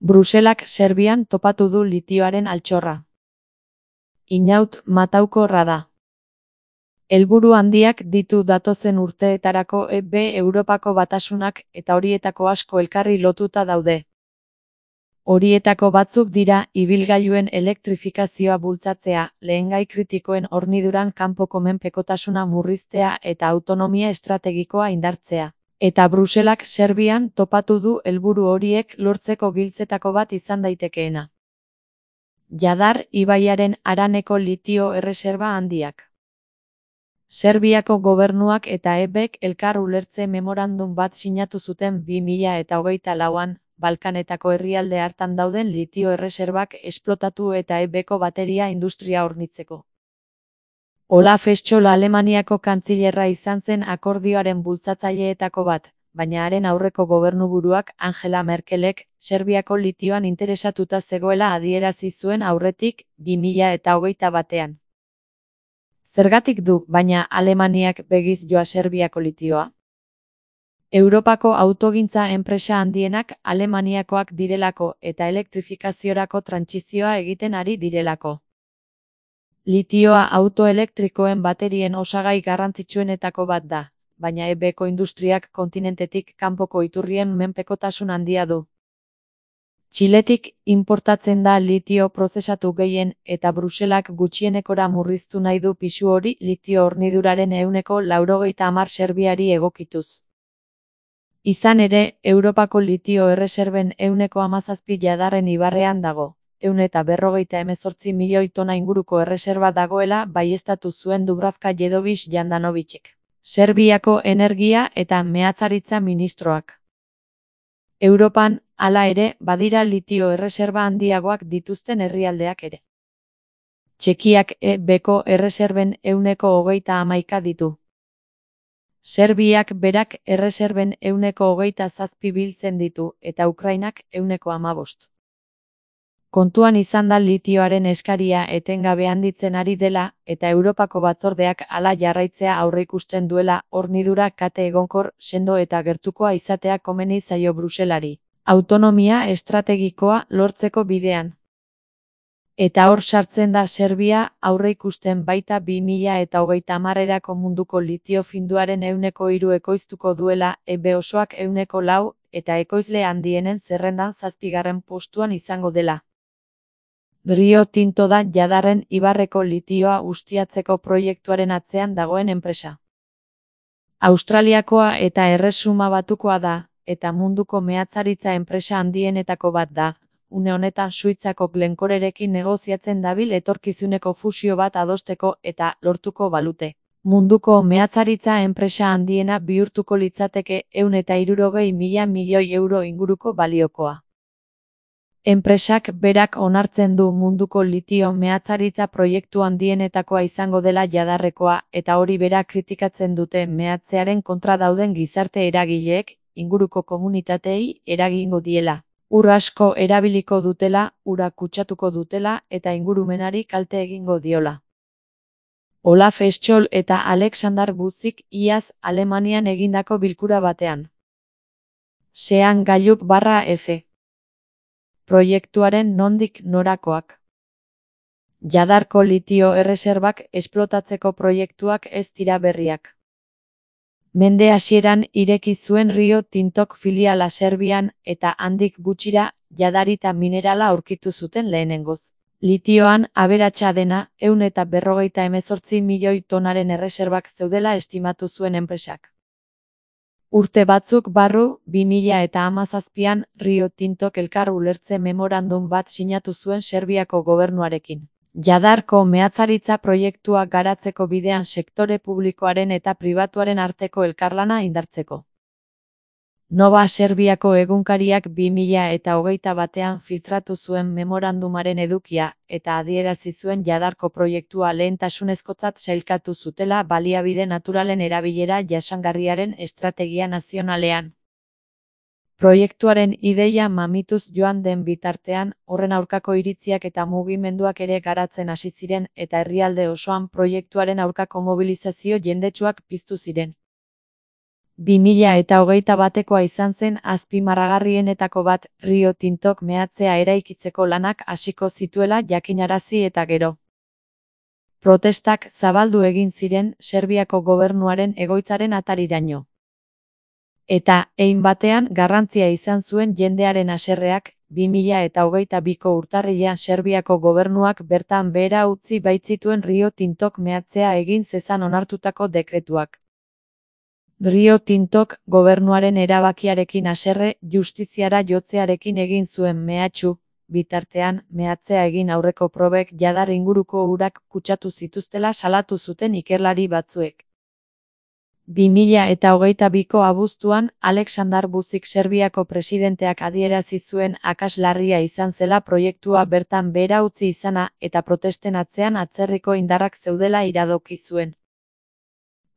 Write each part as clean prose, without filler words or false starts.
Bruselak Serbian topatu du litioaren altxorra. Inaut mataukorra da. Helburu handiak ditu datozen urteetarako Europako Batasunak eta horietako asko elkarri lotuta daude. Horietako batzuk dira ibilgailuen elektrifikazioa bultzatzea, lehengai kritikoen horniduran kanpoko menpekotasuna murriztea eta autonomia estrategikoa indartzea. Eta Bruselak Serbian topatu du helburu horiek lortzeko giltzetako bat izan daitekeena. Jadar ibaiaren haraneko litio erreserba handiak. Serbiako gobernuak eta EBek elkar ulertze memorandum bat sinatu zuten 2024an, Balkanetako herrialde hartan dauden litio erreserbak esplotatu eta EBeko bateria industria hornitzeko. Olaf Scholz Alemaniako kantzilerra izan zen akordioaren bultzatzaileetako bat, baina haren aurreko gobernuburuak Angela Merkelek Serbiako litioan interesatuta zegoela adierazi zuen aurretik 2021an. Zergatik du, baina Alemaniak begiz joa Serbiako litioa? Europako autogintza enpresa handienak Alemaniakoak direlako eta elektrifikaziorako trantsizioa egiten ari direlako. Litioa autoelektrikoen baterien osagai garrantzitsuenetako bat da, baina EBeko industriak kontinentetik kanpoko iturrien menpekotasun handia du. Txiletik inportatzen da litio prozesatu gehien eta Bruselak gutxienekora murriztu nahi du pisu hori litio horniduraren 90% Serbiari egokituz. Izan ere, Europako litio erreserben 17% Jadarren ibarrean dago. 158 milioi tona inguruko erreserba dagoela baieztatu zuen Dubravka Jedović Jandanovicek, Serbiako energia eta meatzaritza ministroak. Europan, hala ere, badira litio erreserba handiagoak dituzten herrialdeak ere. Txekiak EBeko erreserben 131 ditu. Serbiak berak erreserben 127 biltzen ditu eta Ukrainak 115. Kontuan izan da litioaren eskaria etengabe handitzen ari dela eta Europako batzordeak hala jarraitzea aurreikusten duela hornidura kate egonkor, sendo eta gertukoa izatea komeni zaio Bruselari, autonomia estrategikoa lortzeko bidean. Eta hor sartzen da Serbia aurreikusten baita 2030erako munduko litio finduaren 3% ekoiztuko duela, EB osoak 4% eta ekoizle handienen zerrendan 7. postuan izango dela. Rio Tinto da Jadarren ibarreko litioa ustiatzeko proiektuaren atzean dagoen enpresa. Australiakoa eta Erresuma Batukoa da, eta munduko meatzaritza enpresa handienetako bat da. Une honetan Suitzako Glencorerekin negoziatzen dabil etorkizuneko fusio bat adosteko eta lortuko balute. Munduko meatzaritza enpresa handiena bihurtuko litzateke 160.000 milioi euro inguruko baliokoa. Enpresak berak onartzen du munduko litio meatzaritza proiektu handienetakoa izango dela Jadarrekoa eta hori bera kritikatzen dute meatzearen kontra dauden gizarte eragileek, inguruko komunitateei eragingo diela. Ur asko erabiliko dutela, ura kutsatuko dutela eta ingurumenari kalte egingo diola. Olaf Scholz eta Alexander Vučić iaz Alemanian egindako bilkura batean. Sean Gallup/F. Proiektuaren nondik norakoak. Jadarko litio erreserbak esplotatzeko proiektuak ez dira berriak. Mende hasieran ireki zuen Rio Tintok filiala Serbian eta handik gutxira jadarita minerala aurkitu zuten lehenengoz. Litioan aberatsa dena 158 milioi tonaren erreserbak zeudela estimatu zuen enpresak. Urte batzuk barru, 2017an Rio Tintok elkar ulertze memorandum bat sinatu zuen Serbiako gobernuarekin. Jadarko meatzaritza proiektua garatzeko bidean sektore publikoaren eta pribatuaren arteko elkarlana indartzeko. Nova Serbiako egunkariak 2021an filtratu zuen memorandumaren edukia eta adierazi zuen Jadarko proiektua lehentasunezkotzat sailkatu zutela baliabide naturalen erabilera jasangarriaren estrategia nazionalean. Proiektuaren ideia mamituz joan den bitartean, horren aurkako iritziak eta mugimenduak ere garatzen hasi ziren eta herrialde osoan proiektuaren aurkako mobilizazio jendetsuak piztu ziren. 2021ekoa izan zen azpimarragarrienetako bat Rio Tintok meatzea eraikitzeko lanak hasiko zituela jakinarazi eta gero. Protestak zabaldu egin ziren Serbiako gobernuaren egoitzaren atariraino. Eta, hein batean garrantzia izan zuen jendearen haserreak, 2022ko urtarrilean Serbiako gobernuak bertan behera utzi baitzituen Rio Tintok meatzea egin zezan onartutako dekretuak. Rio Tintok gobernuaren erabakiarekin haserre justiziara jotzearekin egin zuen mehatxu, bitartean meatzea egin aurreko probek jadar inguruko urak kutsatu zituztela salatu zuten ikerlari batzuek. 2022ko abuztuan Aleksandar Vučić Serbiako presidenteak adierazi zuen akats larria izan zela proiektua bertan behera utzi izana eta protesten atzean atzerriko indarrak zeudela iradoki zuen.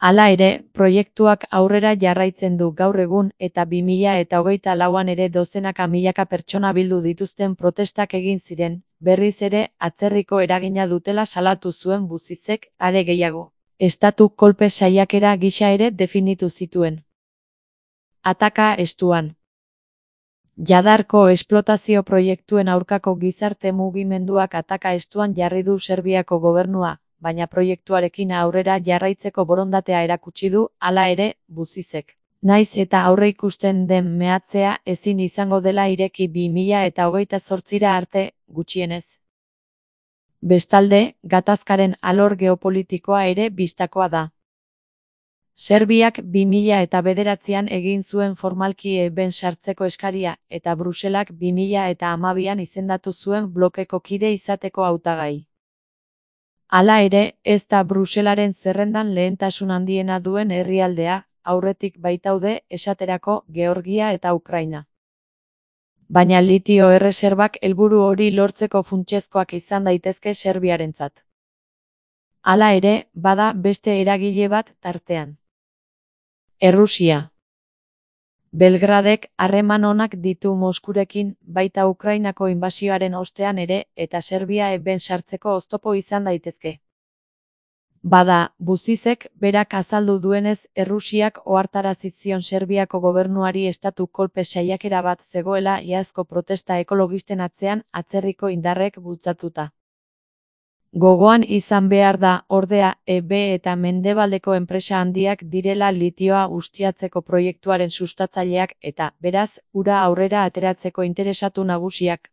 Hala ere, proiektuak aurrera jarraitzen du gaur egun eta 2024an ere dozenaka milaka pertsona bildu dituzten protestak egin ziren, berriz ere atzerriko eragina dutela salatu zuen Vučićek, are gehiago. Estatu kolpe saiakera gisa ere definitu zituen. Ataka estuan. Jadarko esplotazio proiektuen aurkako gizarte mugimenduak ataka estuan jarri du Serbiako gobernua, baina proiektuarekin aurrera jarraitzeko borondatea erakutsi du, hala ere, Vučićek. Naiz eta aurreikusten den meatzea ezin izango dela ireki 2028ra arte, gutxienez. Bestalde, gatazkaren alor geopolitikoa ere bistakoa da. Serbiak 2009an egin zuen formalki EBEn sartzeko eskaria, eta Bruselak 2012an izendatu zuen blokeko kide izateko hautagai. Hala ere, ez da Bruselaren zerrendan lehentasun handiena duen herrialdea, aurretik baitaude, esaterako, Georgia eta Ukraina. Baina litio erreserbak helburu hori lortzeko funtsezkoak izan daitezke Serbiarentzat. Hala ere, bada beste eragile bat tartean. Errusia. Belgradek harreman onak ditu Moskurekin, baita Ukrainako inbasioaren ostean ere, eta Serbia EBEn sartzeko oztopo izan daitezke. Bada, Vučićek berak azaldu duenez Errusiak ohartarazi zion Serbiako gobernuari estatu kolpe saiakera bat zegoela iazko protesta ekologisten atzean atzerriko indarrek bultzatuta. Gogoan izan behar da, ordea, EB eta mendebaldeko enpresa handiak direla litioa ustiatzeko proiektuaren sustatzaileak eta, beraz, ura aurrera ateratzeko interesatu nagusiak.